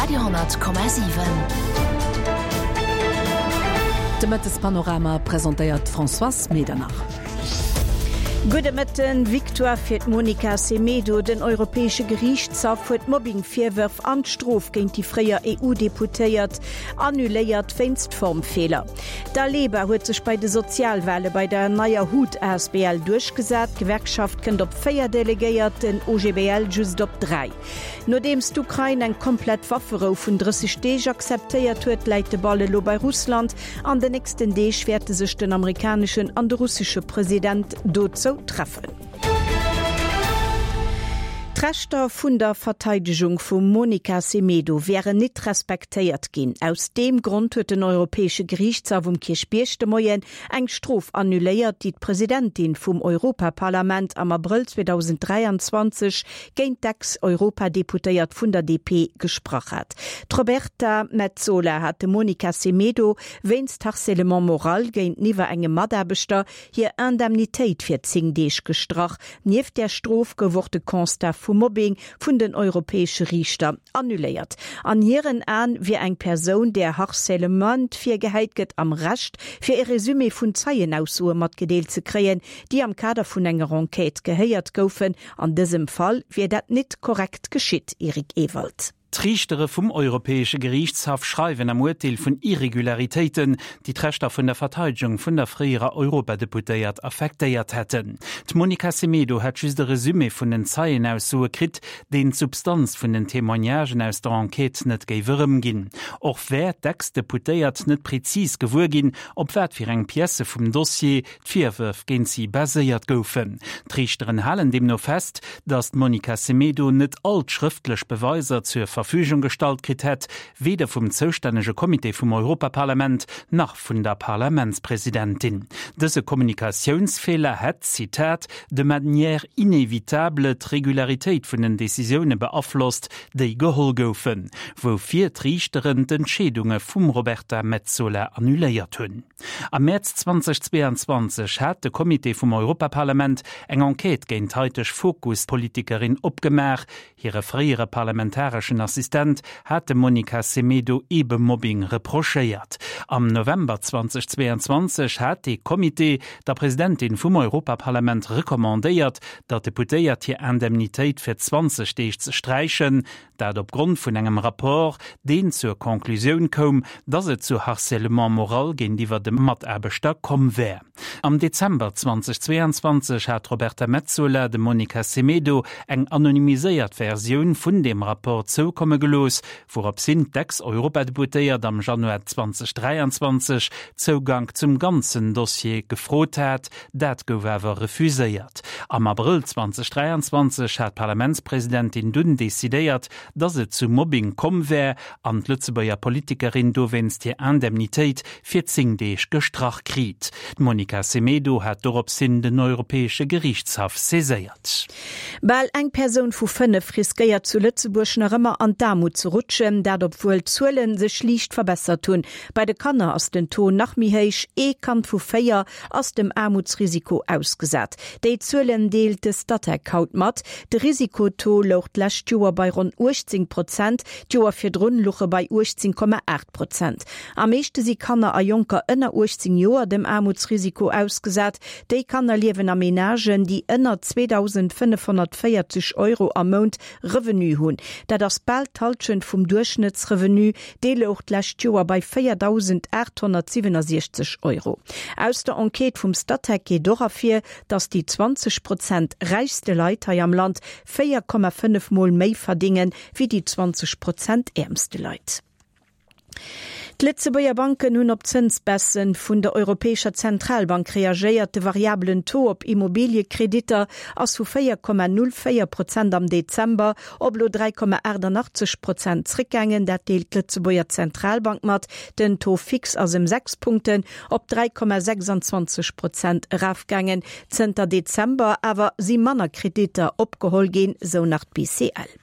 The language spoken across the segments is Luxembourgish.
Radio,7. De Mëttespanorama presentéiert d'Françoise Medernach. Gudde Mëtten. Victoire fir d'Monica Semedo, Den Europäesche Geriichtshaff huet d'Mobbing-Virwërf an d'Strof géint déi fréier EU-Deputéiert annuléiert wéinst Formfeeler. D'Aleba huet sech bei de Sozialwale bei der neier hut asbl duerchgesat. D'Gewerkschaft kënnt op 4 Delegéiert, den OGBL just op 3. Nodeems d'Ukrain eng komplett Wafferou vun 30 Deeg akzeptéiert huet, läit de Ball elo bei Russland. An den nächsten Deeg wäerte sech den amerikaneschen an de russesche President dozou treffen. D'Rechter vun der Verteidegung vum Monica Semedo wären nit respektéiert ginn. Aus deem Grond huet den Europäesche Geriichtshaff um Kierchbierg de Moien eng Strof annuléiert, déi d'Presidentin vum Europaparlament am Abrëll 2023 géint d'Ex-Europadeputéiert vun der DP gesprach hat. D'Roberta Metsola hat dem Monica Semedo wéinst Harcèlement moral géinteniwwer engem Mataarbechter hir Indemnitéit fir 10 Deeg gestrach. Nieft där Strof gouf och de Constat vu Mobbing vun den europäesche Riichter annuléiert. An hiren Aen wier eng Persoun, där Harcèlement virgehäit gëtt, am Recht, fir e Resumé vun Zeienaussoe matgedeelt ze kréien, déi am Kader vun enger Enquête gehéiert goufen. An dësem Fall wier dat nit korrekt geschitt, Eric Ewald. D'Riichtere vum Europäesche Geriichtshaff schreiwen am Urteel vun Irregularitéiten, déi d'Rechter vun der Verteidegung vun der fréierer Europadeputéiert affektéiert hätten. D'Monica Semedo hätt just e Resumé vun den Zeienaussoe kritt, deen d'Substanz vun den Témoignagen aus der Enquête net géif erëmginn. Och wär d'Ex-Deputéiert net prezis gewuer ginn, op wat fir eng Piècë vum Dossier D'Virwërf géint si baséiert goufen. D'Riichteren halen deemno fest, datt d'Monica Semedo net all d'schrëftlech Beweiser zur Verfügung gestallt kritt hätt, weder vum zoustännege Comité vum Europaparlament nach vun der Parlamentspresidentin. Dëse Kommunikatiounsfeeler hätt, Zitat, de manière inévitable d'Regularitéit vun den Decisioune beaflosst, déi geholl goufen, woufir d'Riichteren d'Entscheedunge vum Roberta Metsola annuléiert hunn. Am Mäerz 2022 hat de Comité vum Europaparlament eng Enquête géint d'haiteg Fokus-Politikerin opgemaach. Hire fréiere parlamentareschen Assistent hat dem Monica Semedo eebe Mobbing reprochéiert. Am November 2022 hat dee Comité der Presidentin vum Europaparlament recommandéiert, der Deputéiert hir Indemnitéit fir 20 Deeg ze sträichen. Dat op Grond vun engem Rapport, deen zur Conclusioun koum, datt et zu Harcèlement moral géintiwwer dem Mataarbechter komm wär. Am Dezember 2022 hat d'Roberta Metsola dem Monica Semedo eng anonymiséiert Versioun vun deem Rapport zoukomme gelooss, wourops hin d'Ex-Europadeputéiert am Januar 2023 Zougank zum ganzen Dossier gefrot hat. Dat gouf awer refuséiert. Am Abrëll 2023 hat d'Parlamentspresidentin dunn decidéiert, datt et zu Mobbing komm wär an d'Lëtzebuerger Politikerin dowéinst hir Indemnitéit fir 10 Deeg gestrach kriit. D'Monica Semedo hat dorops hin den Europäesche Geriichtshaff saiséiert. Bal eng Persoun vu 5 riskéiert zu Lëtzebuerg nach ëmmer an d'Aarmut ze rutschen, dat obwuel d'Zuele sech liicht verbessert hunn. Bei de Kanner ass den Taux nach méi héich, ee Kand vu 4 ass dem Aarmutsrisiko ausgesat. Déi Zuelen deelt de Statec haut mat. De Risikotaux louch d'lescht Joer bei ronn 18 Prozent, d'Joer virdrun louch e bei 18,8 Prozent. Am meeschte si Kanner a Jonker ënner 18 Joer dem Aarmutsrisiko ausgesat. Déi Kanner liewen a Menagen, déi ënner 2.540 Euro am Mount Revenu hunn. Dat ass bal d'Hallschent vum Duerchschnëttsrevenu. Dee louch d'lescht Joer bei 4.867 Euro. Aus der Enquête vum Statec geet och ervir, datt déi 20 Prozent räichste Leit hei am Land 4,5 Mol méi verdénge wéi déi 20 Prozent äermste Leit. D'Lëtzebuerger Banken hunn op d'Zënsbaisse vun der Europäescher Zentralbank reagéiert. De variabelen Taux op Immobiliekreditter ass vu 4,04 Prozent am Dezember op elo 3,88 Prozent zréckgaangen. Dat deelt d'Lëtzebuerger Zentralbank mat. Den Taux fixe ass ëm 6 Punkten op 3,26 Prozent erafgaangen. Zënter Dezember awer si manner Kreditter opgeholl ginn, sou nach d'BCL.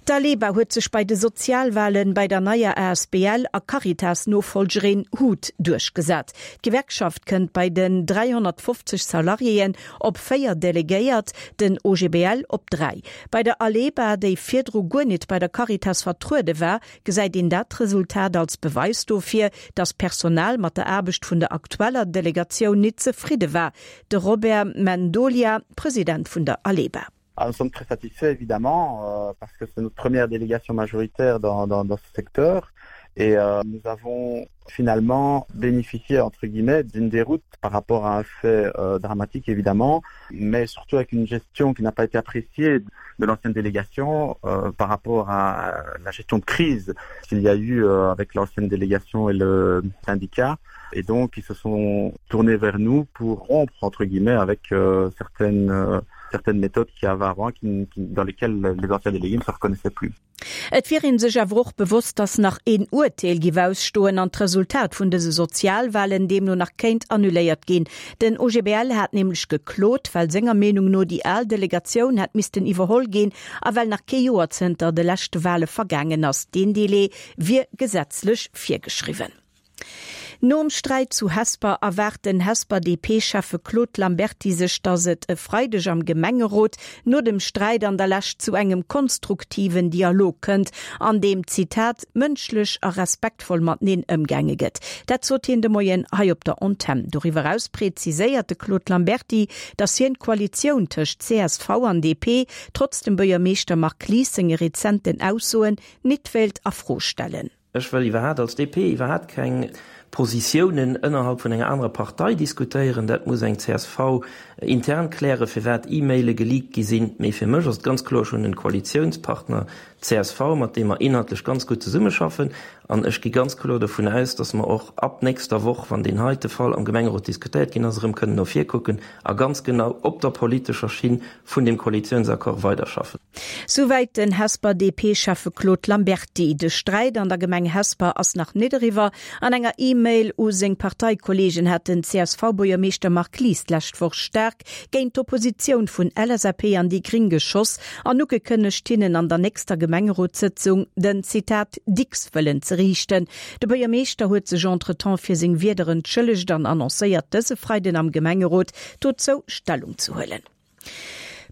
D'Aleba huet sech bei de Sozialwalen bei der neier asbl a Caritas-Nofollgerin hut duerchgesat. D'Gewerkschaft kënnt bei den 350 Salariéen op 4 Delegéiert, den OGBL op 3. Bei der Aleba, déi virdru guer nit bei der Caritas vertruede war, gesäit een dat Resultat als Beweis dofir, datt d'Personal mat der Aarbecht vun der aktueller Delegatioun nit zefridde war. De Robert Mendolia, President vun der Aleba. Ah, nous sommes très satisfaits évidemment euh, parce que c'est notre première délégation majoritaire dans, dans, dans ce secteur et euh, nous avons finalement bénéficié entre guillemets d'une déroute par rapport à un fait euh, dramatique évidemment mais surtout avec une gestion qui n'a pas été appréciée de l'ancienne délégation euh, par rapport à la gestion de crise qu'il y a eu euh, avec l'ancienne délégation et le syndicat et donc ils se sont tournés vers nous pour rompre entre guillemets avec euh, certaines euh, certaines méthodes qui avaient avant qui, qui, dans lesquelles les anciens délégués ne se reconnaissaient plus. Et wier ee sech awer och bewosst, datt nach een Urteel giff ausstoen an d'Resultat vun dëse Sozialwalen deemno nach kéint annuléiert ginn. Den OGBL hat nämlech geklot, well senger Meenung no déi al Delegatioun hätt missten iwwerholl ginn a well nach kee Joer zënter de leschte Wale vergaangen ass. Deen Delai wier gesetzlech virgeschriwwen. Nom Sträit zu Hesper erwaart den Hesper DP-Schäffe Claude Lamberty sech, datt et e Freideg am Gemengerot no dem Sträit an der Lescht zu engem konstruktiven Dialog kënnt, an deem, Zitat, mënschlech a respektvoll mateneen ëmgaange gëtt. Dat sot hien de Moien hei op der Antenn. Doriwwer eraus preziséiert de Claude Lamberty, datt hien d'Koalitioun tëscht csv an DP, trotz dem Buergermeeschter Marc Lies senge rezenten Aussoen, nit wéilt a Fro stellen. Ech wëll iwwerhaat als DP iwwerhaat keng Positiounen ënnerhalb vun enger anerer Partei diskutéieren. Dat muss eng csv intern klären, firwat E-Maile geleakt gi sinn. Mee fir mech ass et ganz kloer, ech hunn en Koalitiounspartner, csv, mat deem mer inhaltlech ganz gutt zesummeschaffen. An ech gi ganz kloer dovun aus, datt mer och ab nächster Woch, wann deen heite Fall am Gemengerot diskutéiert ginn ass, erëm kënnen no vir kucken a ganz genau op der politescher Schinn vun deem Koalitiounsaccord weiderschaffen. Souwäit den Hesper DP-Schäffe Claude Lamberty. De Sträit an der Gemeng Hesper ass nach nit eriwwer. An enger E-Mail u seng Parteikollegen hat den CSV-Buergermeeschter Marc Lies d'lescht Woch staark géint d'Oppositioun vun LSAP an déi Gring geschoss an ugekënnegt, hinnen an der nächster Gemengerotssëtzung den, Zitat, Dicks wëllen ze riichten. De Buergermeeschter huet sech entretemps fir seng Wierder entschëllegt an annoncéiert, dëse Freiden am Gemengerot dozou Stellung ze huelen.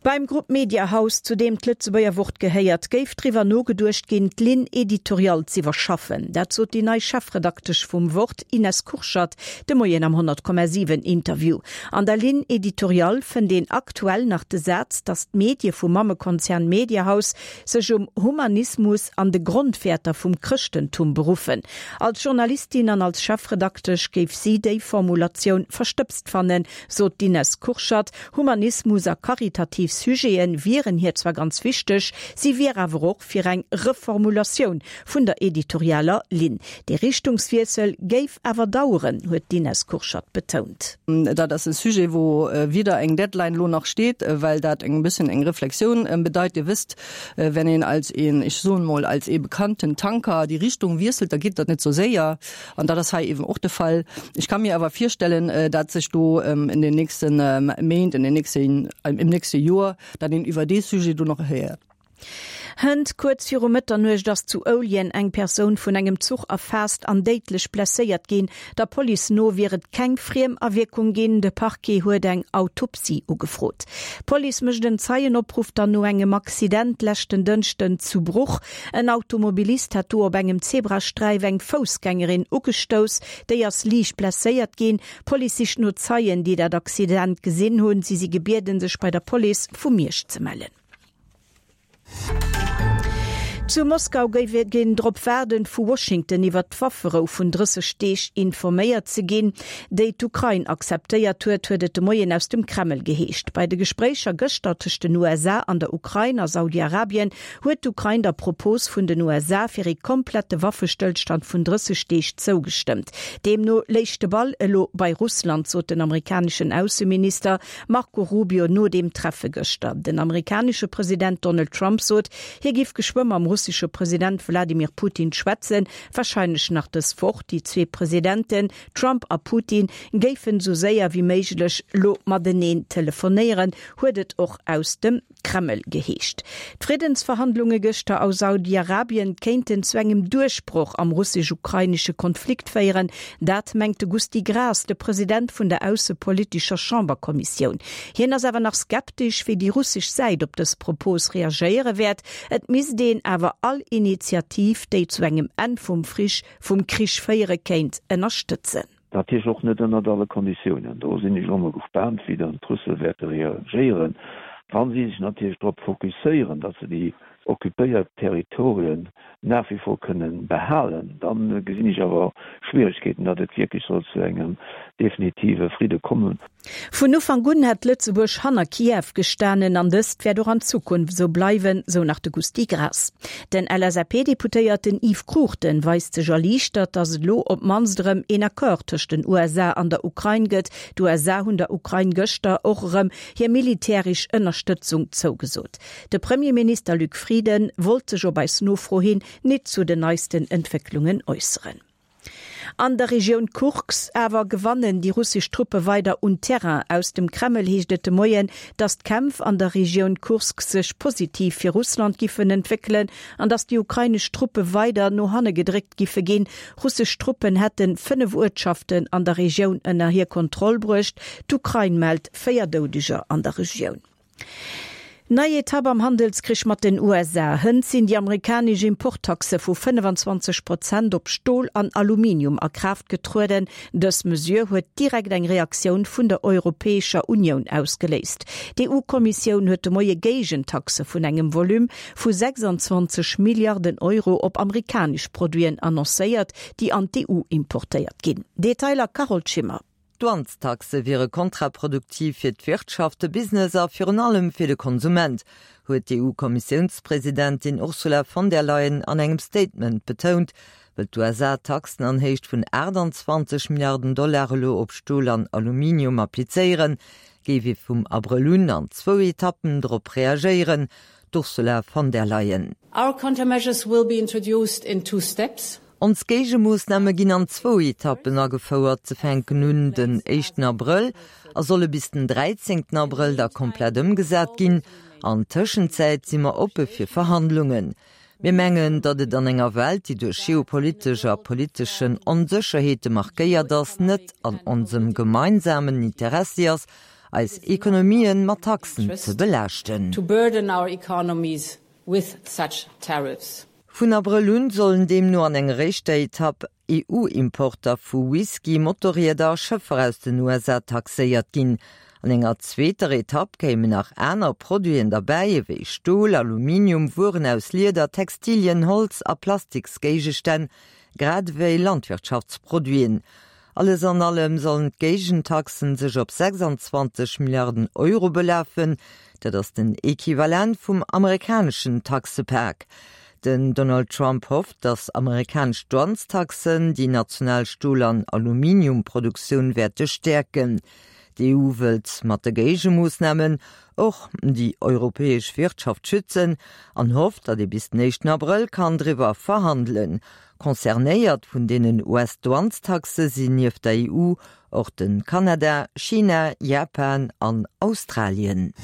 Beim Grupp Mediahaus, zu deem d'Lëtzebuerger Wort gehéiert, géif driwwer nogeduecht ginn, d'Ligne éditoriale z'iwwerschaffen. Dat sot déi nei Chefredaktesch vum Wort, Ines Kurschat, de Moien am 100,7 Interview. An der Ligne éditoriale fënnt een aktuell nach de Saz, datt d'Medie vum Mammekonzern Mediahaus sech um Humanismus an de Grondwäerter vum Chrëschtentum beruffen. Als Journalistin an als Chefredaktesch géif si déi Formulatioun verstëbst fannen, sot d'Ines Kurschat. Humanismus a karitativ Sujete wieren hir zwar ganz wichteg, si wier awer och fir eng Reformulatioun vun der editorialer Linn. Dee Richtungswiessel géif awer daueren, huet d'Ines Kurschat betount. Dat ass e Sujet, wou wieder eng Deadline elo nach steet, well dat eng bëssen eng Reflexioun bedeit. Dir wësst, wenn een als een, ech soen emol, als ee bekannten Tanker déi Richtung wiesselt, da geet dat net sou séier. An dat ass hei eben och de Fall. Ech ka mir awer virstellen, dat sech do in den nächsten Méint, in den nächsten, im nächste Joer, dat een iwwer dee Sujet do nach héiert. Hënt kuerz viru Mëtternuecht ass zu Ouljen eng Persoun vun engem Zuch erfaasst an déidlech blesséiert ginn. Der Police no wier et keng Friemawierkung ginn. De Parquet huet eng Autopsie ugefrot. D'Police mécht en Zeienopruff dann no engem Accident leschten Dënschden zu Bruch. En Automobilist hat do op engem Zebrasträif eng Foussgängerin ugestouss. Déi ass liicht blesséiert ginn. D'Police sicht no Zeien, déi dat Accident gesinn hunn. Si si gebieden, sech bei der Police vu Miersch ze mellen. Zu Moskau géif een drop waarden, vu Washington iwwert d'Wafferou vun 30 Deeg informéiert ze ginn, déi d'Ukrain akzeptéiert huet, huet et de Moien aus dem Kreml geheescht. Bei de Gespréicher gëschter tëscht den USA an der Ukrain a Saudi-Arabien huet d'Ukrain der Propos vun den USA fir ee komplette Waffestëllstand vun 30 Deeg zougestëmmt. Deemno léich de Ball elo bei Russland, sot den amerikaneschen Ausseminister Marco Rubio no deem Treffe gëschter. Den amerikanesche President Donald Trump sot, hie giff geschwë mam. russesche President Wladimir Putin schwätzen, warscheinlech nach dës Woch. Déi zwee Presidenten, Trump a Putin, géifen esou séier wéi méiglech lo mateneen telefonéieren, huet et och aus dem Kreml geheescht. D'Friddensverhandlunge gëschter a Saudi-Arabien kéinten zu engem Duerchbroch am russesch-ukrainesche Konflikt féieren. Dat mengt de Gusty Graas, de President vun der aussepolitescher Chamberkommissioun. Hien ass awer nach skeptesch, wéi déi russesch Säit op dës Propos reagéiere wäert. Et misst een awer all Initiativ, déi zu engem Enn vum vum Krich féiere kéint, ënnerstëtzen. Natierlech och net ënnert alle Konditiounen. Do sinn ech elo mol gespaant, wéi dann d'Russe wäerte reagéieren, wa si sech natierlech drop fokusséieren, datt se déi occupéiert Territorien nach wie vor kënnen behalen. Da gesinn ech awer Schwieregkeeten, datt et wierklech soll zu engem definitive Fridde kommen. Vun Ufank un hätt Lëtzebuerg hanner Kiew gestanen an dëst wäert och an Zukunft esou bleiwen, sou nach de Gusty Graas. Den LSAP-Deputéierten Yves Cruchten weist sech erliichtert, datt et elo op d'mannst erëm een Accord tëscht den USA an der Ukrain gëtt. D'USA hunn der Ukrain gëschter och erëm hir militäresch Ënnerstëtzung zougesot. De Premierminister Luc Frieden wollt sech op eis Nofro hin nit zu den neisten Entwécklungen äusseren. An der Regioun Kursk awer gewannen déi russesch Truppe weider un Terrain. Aus dem Kreml heescht et de Moien, datt d'Kämpf an der Regioun Kursk sech positiv fir Russland giffen entwéckelen an datt déi ukrainesch Truppe weider no hanne gedréckt giffe ginn. Russesch Truppen hätte 5 Uertschaften an der Regioun ënner hir Kontroll bruecht. D'Ukrain mellt 4 Doudeger an der Regioun. Nei Etapp am Handelskrich mat den USA, Hënt sinn déi amerikanesch Importtaxe vu 25 Prozent op Stol an Aluminium a Kraaft getrueden. Dës Mesure huet direkt eng Reaktioun vun der Europäescher Unioun ausgeléist. D'EU-Kommissioun huet de Moie Géigentaxe vun engem Volume vu 26 Milliarden Euro op amerikanesch Produiten annoncéiert, déi an d'EU importéiert ginn. Detailer Carole Schimmer. D'Douanestaxe wiere kontraproduktiv fir d'Wirtschaft, de Business a virun allem fir de Konsument, huet d'EU-Kommissiounspresidentin Ursula von der Leyen an engem Statement betount. Wëll d'USA Taxen an Héicht vun 28 Milliarden Dollar elo op Stol an Aluminium applizéieren, géif ee vum Abrëll un an zwou Etappen drop reagéieren, d'Ursula von der Leyen. Our countermeasures will be introduced in two steps. Ons Géigemoossname ginn an zwou Etappen agefouert. Se fänken un den éischten Abrëll a solle bis den dräizéngten Abrëll da komplett ëmgesat ginn. An Tëschenzäit si mer oppe fir Verhandlungen. Mir mengen, datt et an enger Welt, déi duerch geopolitesch a politeschen Onsécherheete markéiert ass, net an onsem gemeinsamen Interessi ass, eis Ekonomien mat Taxen ze belaaschten. Vun Abrëll un sollen deemno an enger éischter Etapp EU-Importer vu Whisky, Motorrieder a Schëffer aus den USA taxéiert ginn. An enger zweeter Etapp kéimen nach aner Produiten derbäi, ewéi Stol, Aluminium, Wueren aus Lieder, Textilien, Holz a Plastiksgéigestänn, grad ewéi Landwirtschaftsproduiten. Alles an allem sollen d'Géigentaxen sech op 26 Milliarden Euro belafen. Dat ass den Equivalent vum amerikaneschen Taxepak. Den Donald Trump hofft, datt amerikanesch Douanestaxen déi national Stol an Aluminiumproduktioun wäerte stäerken. D'EU wëllt mat de Géigemoossnamen och déi europäesch Wirtschaft schützen an hofft, datt ee bis den éischten Abrëll kann driwwer verhandelen. Concernéiert vun deenen US-Douanestaxe sinn nieft der EU och de Kanada, China, Japan an Australien.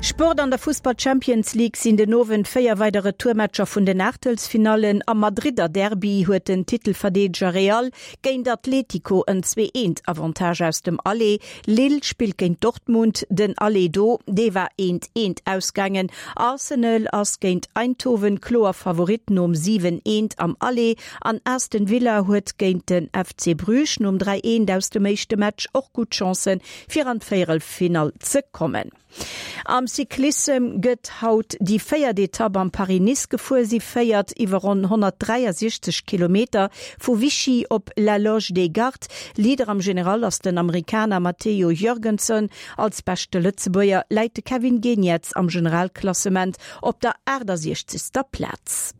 Sport An der Fussball-Champions League sinn den Owend 4 weider Retourmatcher vun den Aachtelsfinallen. Am Madridder Derby huet den Titelverdeedeger Real géint Atletico en 2 eent Avantage aus dem Aller. Lille spillt géint Dortmund, den Aller do, dee war eent eent ausgaangen. Arsenal ass géint Eindhoven kloer Favorit nom 7 eent am Aller an Aston Villa huet géint den FC Bruges nom 3 eent aus dem éischte Match och gutt Chancen fir an d'Véierelfinall ze kommen. Am Cyclissem gëtt haut déi véiert Etapp am Paris-Nice gefuer. Si féiert iwwer ronn 163 Kilometer vu Vichy op La Loge des Gardes. Leader am General ass den Amerikaner Matteo Jorgenson. Als beschte Lëtzebuerger läit de Kevin Geniets am Generalklassement op der 68. Plaz.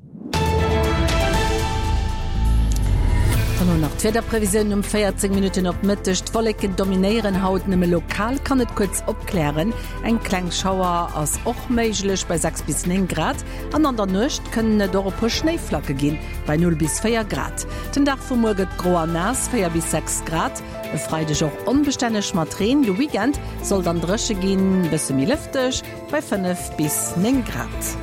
An elo nach d'Wiederprevisiounen um 14 Minutten op Mëtteg. D'Wolleken dominéieren haut, nëmme lokal kann et kuerz opklären. Eng kleng Schauer ass och méiglech bei 6 bis 9 Grad an an der Nuecht kënnen et och e puer Schnéiflacke ginn bei 0 bis 4 Grad. Den Dag vu muer gëtt gro an naass, 4 bis 6 Grad. E Freideg och onbestänneg mat Reen, de Weekend soll dann dréche ginn, bësse méi lëfteg bei 5 bis 9 Grad.